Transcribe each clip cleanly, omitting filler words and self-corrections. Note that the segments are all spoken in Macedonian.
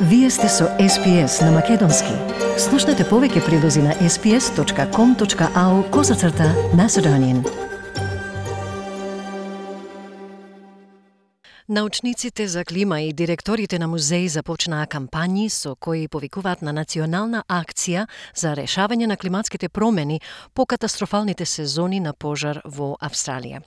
Вие сте со SPS на Македонски. Слушнете повеќе прилози на sps.com.au/Macedonian. Научниците за клима и директорите на музеи започнаа кампањи со кои повикуваат на национална акција за решавање на климатските промени по катастрофалните сезони на пожар во Австралија.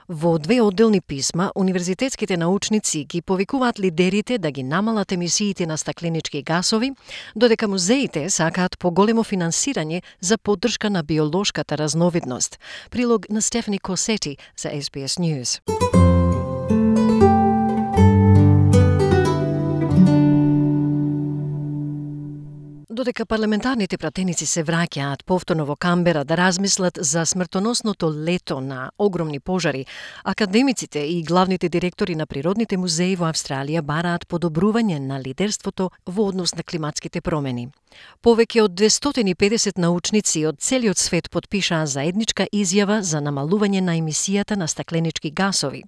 Во две одделни писма, универзитетските научници ги повикуваат лидерите да ги намалат емисиите на стакленички гасови, додека музеите сакаат поголемо финансирање за поддршка на биолошката разновидност. Прилог на Стефани Косети за SBS News. Додека парламентарните пратеници се враќаат повторно во Камбера да размислат за смртоносното лето на огромни пожари, академиците и главните директори на природните музеи во Австралија бараат подобрување на лидерството во однос на климатските промени. Повеќе од 250 научници од целиот свет потпишаа заедничка изјава за намалување на емисијата на стакленички гасови.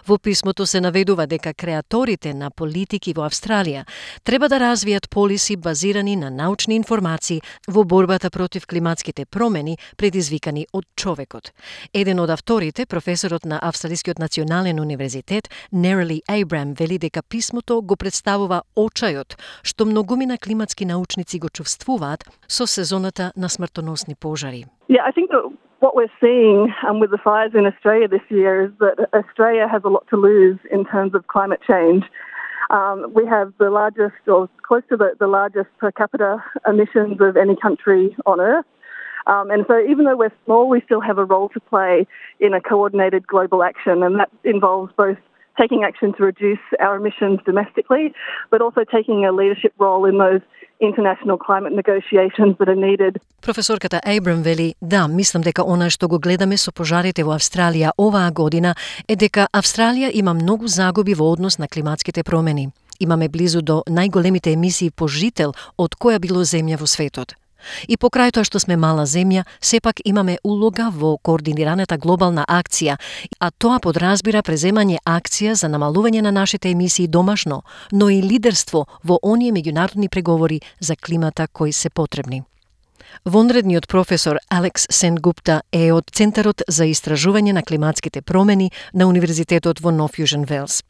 Во писмото се наведува дека креаторите на политики во Австралија треба да развијат полиси базирани на научни информации во борбата против климатските промени предизвикани од човекот. Еден од авторите, професорот на Австралискиот национален универзитет, Nerily Abraham, вели дека писмото го представува очајот што многумина климатски научници го чувствуваат со сезоната на смртоносни пожари. Yeah, I think that what we're seeing with the fires in Australia this year is that Australia has a lot to lose in terms of climate change. We have the largest, or close to the largest per capita emissions of any country on Earth. And so even though we're small, we still have a role to play in a coordinated global action, and that involves both taking action to reduce our emissions domestically, but also taking a leadership role in those international climate negotiations that are needed. Професорката Ейбрам вели, да, мислам дека она што го гледаме со пожарите во Австралија оваа година е дека Австралија има многу загуби во однос на климатските промени. Имаме близу до најголемите емисии по жител од која било земја во светот. И покрај тоа што сме мала земја, сепак имаме улога во координираната глобална акција, а тоа подразбира преземање акција за намалување на нашите емисии домашно, но и лидерство во оние меѓународни преговори за климата кои се потребни. Вонредниот професор Алекс Сенгупта е од Центарот за истражување на климатските промени на Универзитетот во Нов Јужен Велс.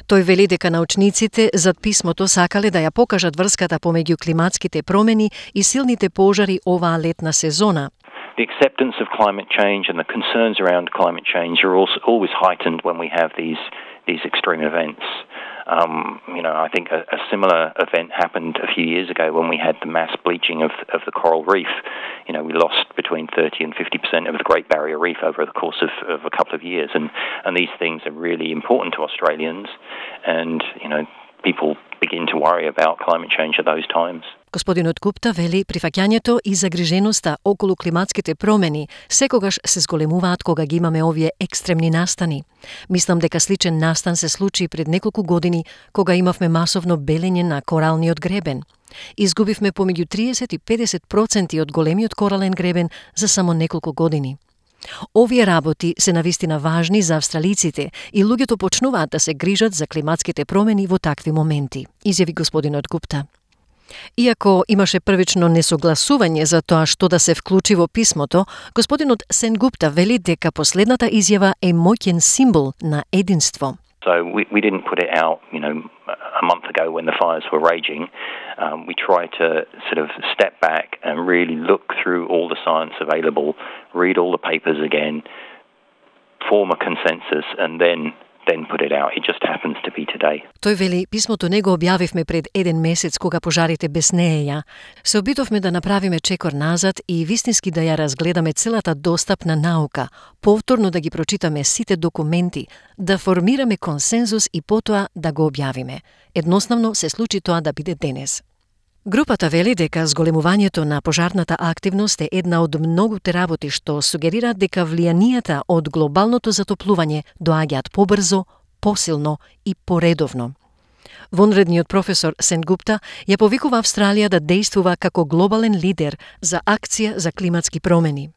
Тој вели дека научниците зад писмото сакале да ја покажат врската помеѓу климатските промени и силните пожари оваа летна сезона. The acceptance of climate change and the concerns around climate change are also always heightened when we have these extreme events. I think a similar event happened a few years ago when we had the mass bleaching of the coral reef. We lost between 30 and 50% of the Great Barrier Reef over the course of a couple of years, and these things are really important to Australians, and people begin to worry about climate change at those times. Господинот Гупта вели прифаќањето и загриженоста околу климатските промени секогаш се зголемуваат кога ги имаме овие екстремни настани. Мислам дека сличен настан се случи пред неколку години кога имавме масовно белење на коралниот гребен. Изгубивме помеѓу 30 и 50% од големиот корален гребен за само неколку години. Овие работи се навистина важни за австралиците и луѓето почнуваат да се грижат за климатските промени во такви моменти, изјави господинот Гупта. Иако имаше првично несогласување за тоа што да се вклучи во писмото, господинот Сенгупта вели дека последната изјава е моќен символ на единство. So we didn't put it out, a month ago when the fires were raging. We tried to sort of step back and really look through all the science available, read all the papers again, form a consensus, and then put it out. It just happens to be today. Тој вели, писмото не го објавивме пред еден месец кога пожарите беснееја. Се обидовме да направиме чекор назад и вистински да ја разгледаме целата достапна наука, повторно да ги прочитаме сите документи, да формираме консензус и потоа да го објавиме. Едноставно се случи тоа да биде денес. Групата вели дека зголемувањето на пожарната активност е една од многуте работи што сугерираат дека влијанијата од глобалното затоплување доаѓаат побрзо, посилно и поредовно. Вонредниот професор Сенгупта ја повикува Австралија да действува како глобален лидер за акција за климатски промени.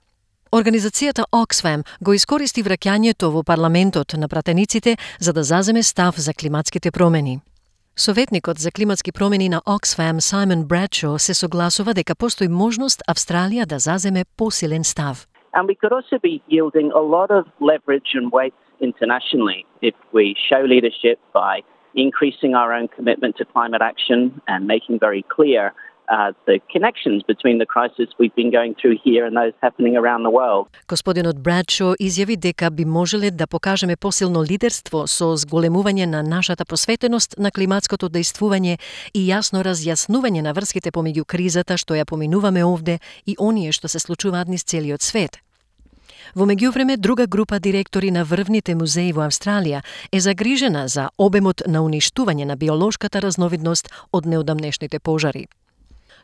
Организацијата Oxfam го искористи враќањето во парламентот на пратениците за да заземе став за климатските промени. Советникот за климатски промени на Oxfam Simon Bradshaw се согласува дека постои можност Австралија да заземе посилен став. And we could also be yielding a lot of leverage and weight internationally if we show leadership by increasing our own commitment to climate action and making very clear the connections between the crisis we've been going through here and those happening around the world. Господинот Брадшо изјави дека би можеле да покажеме посилно лидерство со зголемување на нашата посветеност на климатското дејствување и јасно разјаснување на врските помеѓу кризата што ја поминуваме овде и оние што се случуваат низ целиот свет. Во меѓувреме, друга група директори на врвните музеи во Австралија е загрижена за обемот на уништување на биолошката разновидност од неодамнешните пожари.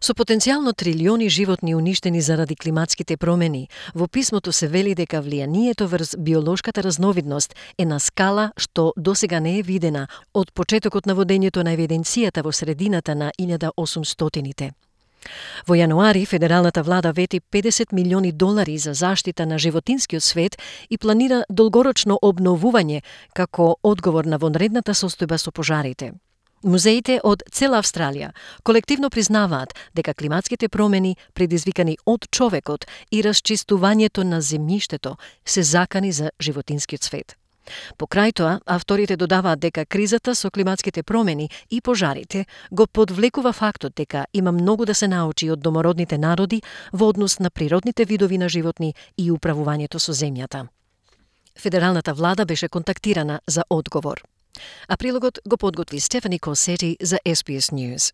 Со потенцијално трилиони животни уништени заради климатските промени, во писмото се вели дека влијанието врз биолошката разновидност е на скала што досега не е видена од почетокот на водењето на евиденцијата во средината на 1800-тите. Во јануари, федералната влада вети $50 милиони за заштита на животинскиот свет и планира долгорочно обновување како одговор на вонредната состојба со пожарите. Музеите од цела Австралија колективно признаваат дека климатските промени предизвикани од човекот и расчистувањето на земјиштето се закани за животинскиот свет. Покрај тоа, авторите додаваат дека кризата со климатските промени и пожарите го подвлекува фактот дека има многу да се научи од домородните народи во однос на природните видови на животни и управувањето со земјата. Федералната влада беше контактирана за одговор. А прилогот го подготви Стефани Косети за SBS News.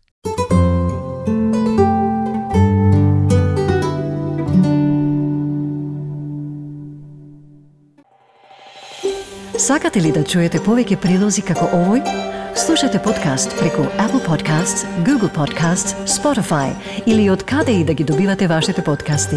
Сакате ли да чуете повеќе прилози како овој? Слушате подкаст преку Apple Podcasts, Google Podcasts, Spotify или од каде и да ги добивате вашите подкасти.